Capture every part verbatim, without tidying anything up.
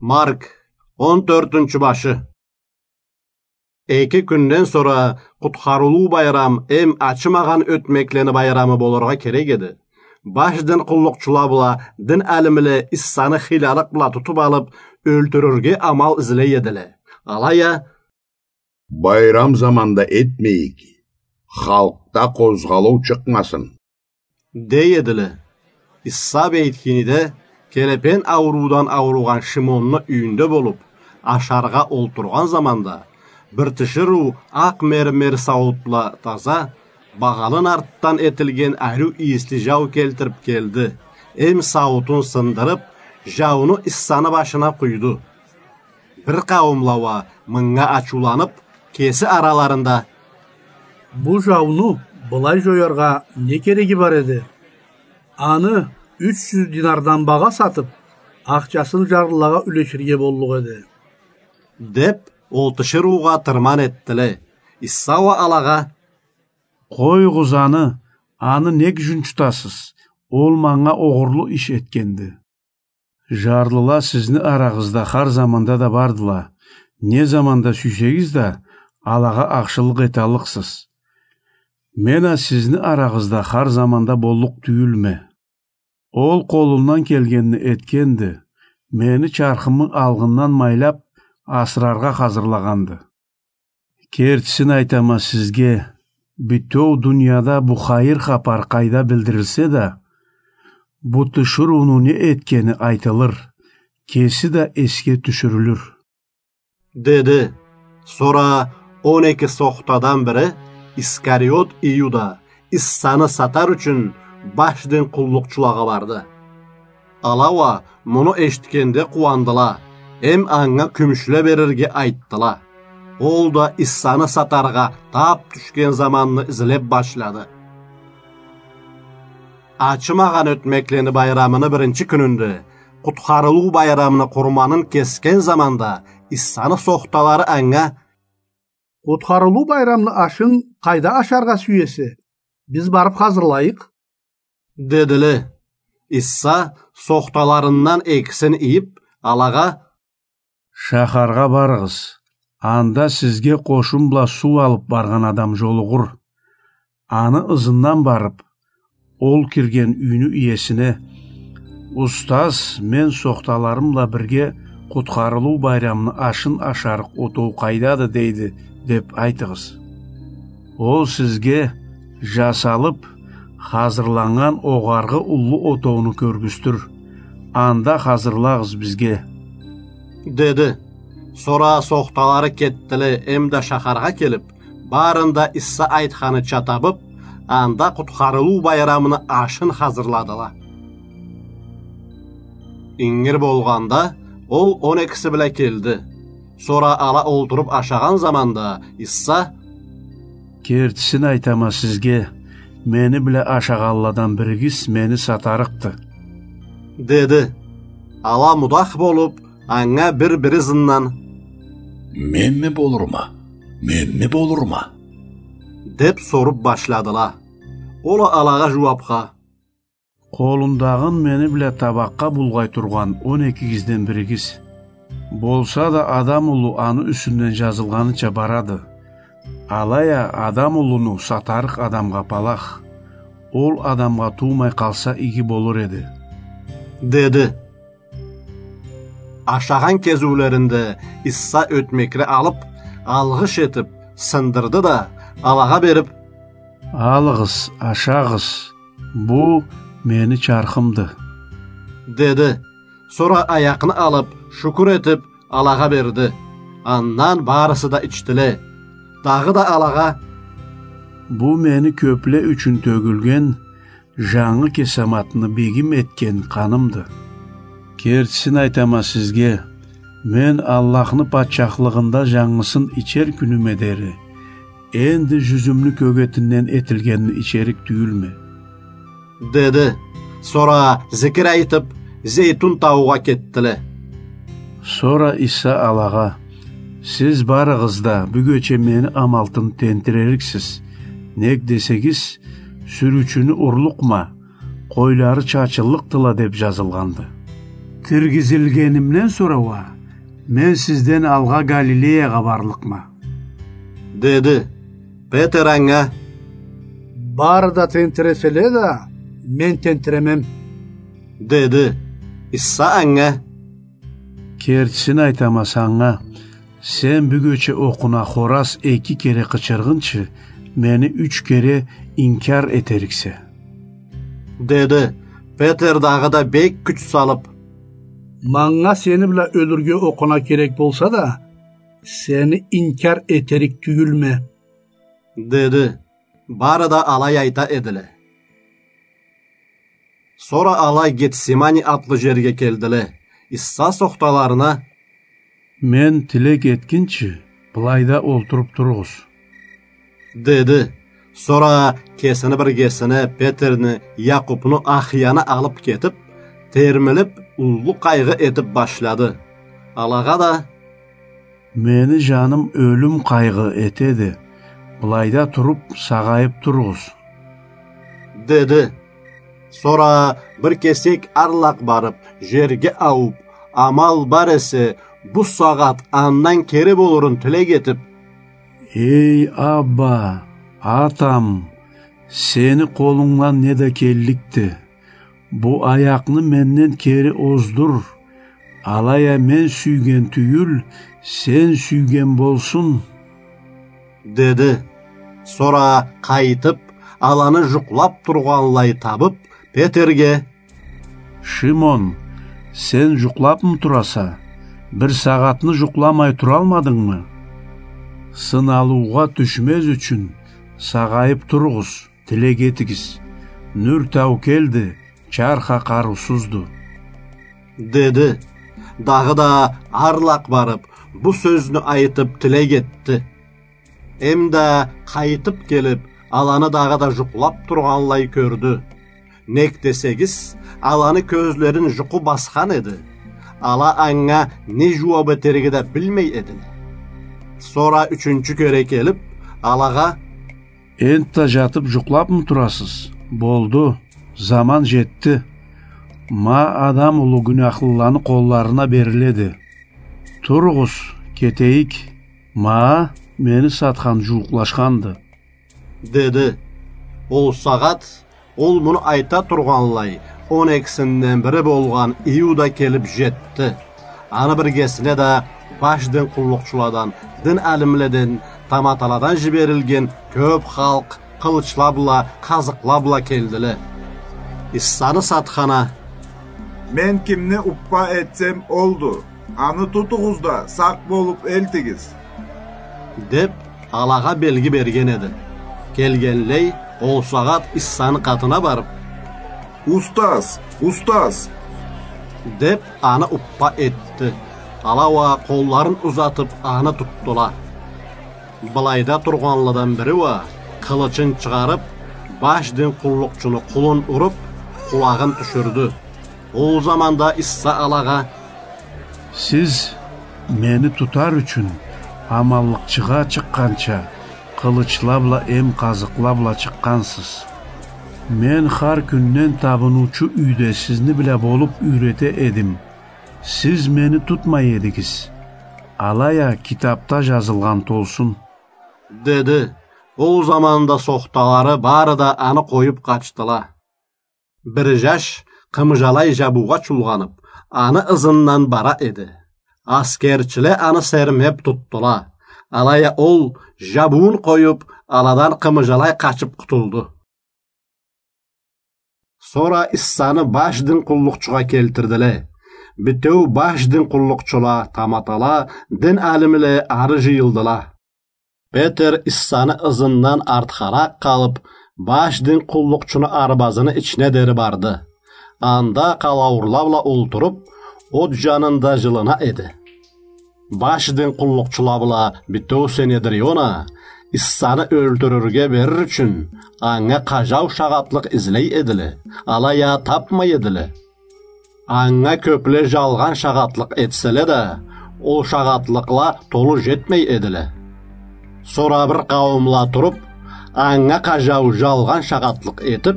Марк, он тёртюнчю башы. Эки кюнден сора Къутхарылыу байрам эм ачымагъан ётмеклени байрамы болургъа керек эди. Баш дин къуллукъчула бла дин алимле Иссаны хыйлалыкъ бла тутуп алып, ёлтюрюрге амал излей эдиле. Алай а: «Байрам заманда этмейик, халкъда къозгъалыу чыкъмасын», — дей эдиле. Исса Бейтхиниде келепен ауруудан ауругъан Шимонну юйюнде болуп, ашаргъа олтургъан заманда, бир тиширыу акъ мермер сауутла таза, багъалын артдан этилген ариу ийисли жау келтирип келди, эм сауутун сындырып, жауну Иссаны башына къуйду. Бир къауумла уа мынга ачыуланып, кеси араларында: «Бу жауну былай жояргъа не кереги бар эди? Аны юч жюз динардан багъа сатып, ахчасын жарлылагъа юлеширге боллукъ эди», — деп, ол тиширыугъа тырман этдиле. Исса уа алагъа: «Къоюгъуз аны, аны нек жунчутасыз? Ол манга огъурлу иш этгенди. Жарлыла сизни арагъызда хар заманда да бардыла. Не заманда сюйсегиз да, алагъа ахшылыкъ эталлыкъсыз. Мен а сизни арагъызда хар заманда боллукъ тюйюлме. Ол къолундан келгенни этгенди, мени чархымы алгъындан майлап, асыраргъа хазырлагъанды. Кертисин айтама сизге, бютеу дунияда бу хайыр хапар къайда билдирилсе да, бу тиширыуну не этгени айтылыр, кеси да эсге тюшюрюлюр», — деди. Сора он эки сохтадан бири, Искариот Иуда, Иссаны сатар ючюн баш дин къуллукъчулагъа барды. Ала уа муну эшитгенде къууандыла, эм анга кюмюшле берирге айтдыла. Ол да Иссаны сатаргъа тап тюшген заманны излеп башлады. Ачымагъан ётмеклени байрамыны биринчи кюнюнде, Къутхарылыу байрамыны къурманын кесген заманда, Иссаны сохталары анга: «Къутхарылыу байрамны ашын къайда ашаргъа сюесе? Биз барып хазырлайыкъ», — дедиле. Исса, сохталарындан экисин ийип, алагъа: «Шахаргъа барыгъыз, анда сизге къошун бла суу алып баргъан адам жолугъур. Аны ызындан барып, ол кирген юйню иесине: „Устаз мен сохталарым бла бирге Къутхарылыу байрамны ашын ашарыкъ отоу къайдады?“ – дейди, – деп айтыгъыз. Ол сизге жасалып хазырланнган огъаргъы уллу отоуну кёргюзтюр. Анда хазырлагъыз бизге“, – деди. Сора сохталары кетдиле эмда шахаргъа келип, барын да Иса айтханыча табып, анда Къутхарылыу байрамыны ашын хазырладыла. Ингир болгъанда, ол он экиси бла келди. Сора ала олтуруп ашагъан заманда Иса: «Кертисин айтама сизге, мени бла ашагъанладан биригиз мени сатарыкъды», – деди. Ала мудах болуп, анга бир-бири ызындан: «Менми болурма? Менми болурма?» – деп соруп башладыла. Ол а алагъа жууапха: «Къолундагъын мени бла табакъгъа булгъай тургъан он экигизден биригиз. Болса да Адам Улу аны юсюнден жазылгъаныча барады. Алай а Адам Улуну сатарыкъ адамгъа палах. Ол адамгъа туумай къалса, иги болур эди», – деди. Ашагъан кезиулеринде Иса ётмекни алып, алгъыш этип, сындырды да, алагъа берип: «Алыгъыз, ашагъыз, бу мени чархымды», – деди. Сора аякъны алып, шукур этип, алагъа берди. Андан барысы да ичдиле. Дагъыда алагъа: «Бу мени кёпле ючюн тёгюлген, жангы кесаматны бегим этген къанымды. Кертисин айтама сизге, мен Аллахны патчахлыгъында жангысын ичер кюнюме дери энди жюзюмню кёгетинден этилгенни ичерик тюйюлме», – деди. Сора зикир айтып, Зейтун таугъа кетдиле. Сора Иса алагъа: «Сиз барыгъыз да бюгече мени амалтын тентирериксиз. Нек десегиз, „Сюрючюню урлукъма, къойлары чачыллыкъдыла“ деп жазылгъанды». Диргизилгенимден сора уа мен сизден алгъа Галилеягъа барлыкъма. Деди. Петер анга: Бары да тентиреселе да, мен тентиремем. Деди. Иса анга: Кертисин айтама санга, сен бюгече окъуна хораз эки кере къычыргъынчы, мени юч кере инкяр этериксе. Деди. Петер дагъыда бек кюч салып: Манга сени бла ёлюрге окъуна керек болса да, сени инкяр этерик тюйюлме. Деди. Бары да алай айта эдиле. Сора ала Гетсимани атлы жерге келдиле. Иса сохталарына: Мен тилек этгинчи, былайда олтуруп туругъуз. Деди. Сора кесини биргесине Петерни, Якъупну, Ахияны алып кетип, термилип, уллу къайгъы этип башлады. Алагъа да: Мени жаным ёлюм къайгъы этеди. Былайда туруп, сагъайып туругъуз, деди. Сора бир кесек арлакъ барып, жерге ауып, амал бар эсе, бу сагъат андан кери болурун тилек этип: Эй, Абба, Атам, сени къолунгдан не да келликди. Бу аякъны менден кери оздур. Алай а мен сюйген тюйюл, сен сюйген болсун, деди. Сора къайтып, аланы жукълап тургъанлай табып, Петерге: Шимон, сен жукълапмы тураса? Бир сагъатны жукъламай туралмадынгмы? Сыналыугъа тюшмез ючюн, сагъайып туругъуз, тилек этигиз. Нюр таукелди, чарх а къарыусузду, деди. Дагъыда арлакъ барып, бу сёзню айтып, тилек этди. Эм да къайтып келип, аланы дагъыда жукълап тургъанлай кёрдю. Нек десегиз, аланы кёзлерин жукъу басхан эди. Ала анга не жууап этерге да билмей эдиле. Сора ючюнчю кере келип, алагъа: Энтда жатып жукълапмы турасыз? Болду, заман жетди. Ма Адам Улу гюняхлыланы къолларына бериледи. Туругъуз, кетейик. Ма мени сатхан жууукълашханды, деди. Ол сагъат ол муну айта тургъанлай, он экисинден бири болгъан Иуда келип жетди. Аны биргесине да баш дин къуллукъчуладан, дин алимледен, таматаладан жиберилген кёп халкъ къылычла бла, къазыкъла бла келдиле. Исаны сатхана: Мен кимни уппа этсем, олду. Аны тутугъуз да, сакъ болуп элтигиз, деп, алагъа белги берген эди. Келгенлей, ол сагъат Исаны къатына барып: «Устаз, устаз!» — деп, аны уппа этди. Ала уа къолларын узатып, аны тутдула. Былайда тургъанладан бири уа, къылычын чыгъарып, баш дин къуллукъчуну къулун уруп, къулагъын тюшюрдю. Ол заманда Иса алагъа: «Сиз мени тутар ючюн, аманлыкъчыгъа чыкъгъанча, къылычла бла эм къазыкъла бла чыкъгъансыз. Мен хар кюнден табыныучу юйде сизни бла болуп юйрете эдим. Сиз мени тутмай эдигиз. Алай а китапда жазылгъан толсун», — деди. Ол заманда сохталары бары да аны къоюп къачдыла. Бир жаш къымыжалай жабуугъа чулгъанып, аны ызындан бара эди. Аскерчиле аны сермеп тутдула. Алай а ол, жабуун къоюп, аладан къымыжалай къачып къутулду. Сора Исаны баш дин къуллукъчугъа келтирдиле. Битеу баш дин къуллукъчула, таматала, дин алимле ары жыйылдыла. Петер Исаны ызындан артхаракъ къалып, баш дин къуллукъчуну арбазыны ичине дери барды. Анда къалауурла бла олтуруп, от жанында жылына эди. Баш дин къуллукъчула бла битеу Синедрион а, Исаны ёлтюрюрге берир ючюн, анга къажау шагъатлыкъ излей эдиле, алай а тапмай эдиле. Анга кёпле жалгъан шагъатлыкъ этселе да, ол шагъатлыкъла толу жетмей эдиле. Сора бир къауумла туруп, анга къажау жалгъан шагъатлыкъ этип: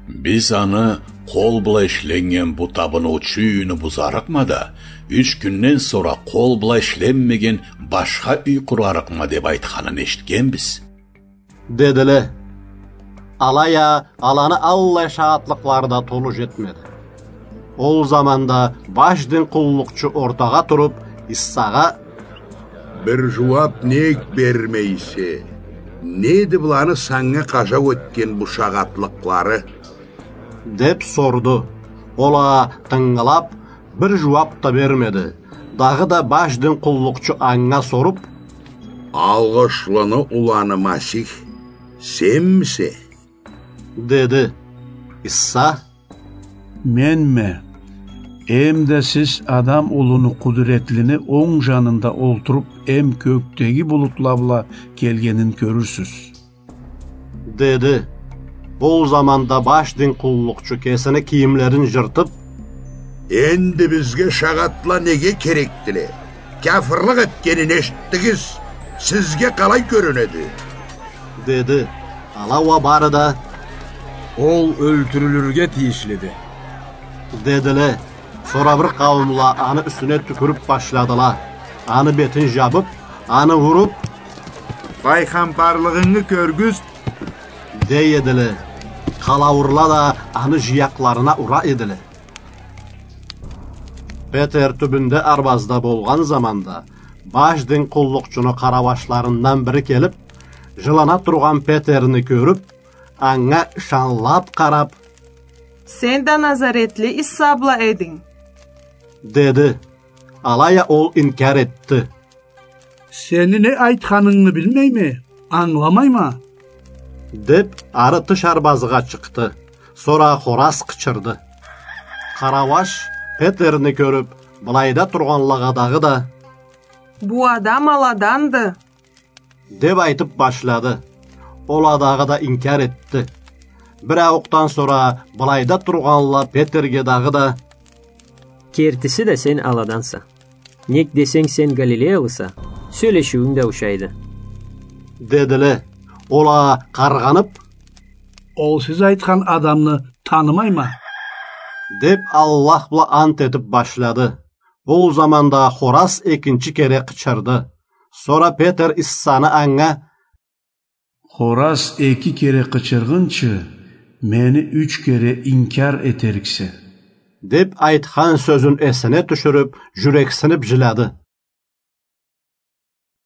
«Биз аны «Къол бла ишленнген бу табыныучу юйню бузарыкъма да, юч кюнден сора къол бла ишленмеген башха юй къурарыкъма» деп айтханын эшитгенбиз. Дедиле. Алай а аланы аллай шагъатлыкълары да толу жетмеди. Ол заманда баш дин къуллукъчу ортагъа туруп, Иссагъа: «Бир жууап нек бермейсе? Неди быланы санга къажау этген бу шагъатлыкълары?» — деп сорду. Ол а тынгылап, бир жууап да бермеди. Дагъыда баш дин къуллукъчу анга соруп: «Алгъышлыны уланы Масих сенмисе?» — деди. Исса: «Менме. Эм да сиз Адам улуну къудуретлини онг жанында олтуруп, эм кёкдеги булутла бла келгенин кёрюрсюз», — деди. Бу заманда баш дин къуллукъчу кесини кийимлерин жыртып: «Энди бизге шагъатла неге керекдиле? Кяфырлыкъ этгенин эшитдигиз. Сизге къалай кёрюнеди?» — деди. Ала уа бары да: «Ол ёлтюрюлюрге тийишлиди», — дедиле. Сора бир къауумла аны юсюне тюкюрюп башладыла. Аны бетин жабып, аны уруп: «Пайхамбарлыгъынгы кёргюз», — дей эдиле. Къалауурла да аны жиякъларына ура эдиле. Петер тюбюнде арбазда болгъан заманда, баш дин къуллукъчуну къарауашларындан бири келип, жылана тургъан Петерни кёрюп, анга ышанлап къарап: «Сен да Назаретли Исса бла эдинг», — деди. Алай а ол инкяр этди. «Сени не айтханынгы билмейме, ангыламайма», — деп, ары тыш арбазгъа чыкъды. Сора хораз къычырды. Къарауаш Петерни кёрюп, былайда тургъанлагъа дагъыда: «Бу адам аладанды», — деп айтып башлады. Ол а дагъыда инкяр этди. Бир ауукъдан сора былайда тургъанла Петерге дагъыда: «Кертиси да сен аладанса. Нек десенг, сен галилеялыса, сёлешиуюнг да ушайды», — дедиле. Ол а къаргъанып: «Ол сиз айтхан адамны танымайма», — деп, Аллах бла ант этип башлады. Ол заманда хораз экинчи кере къычырды. Сора Петер Иссаны анга: «Хораз эки кере къычыргъынчы, мени юч кере инкяр этериксе», — деп айтхан сёзюн эсине тюшюрюп, жюрексинип жиляды.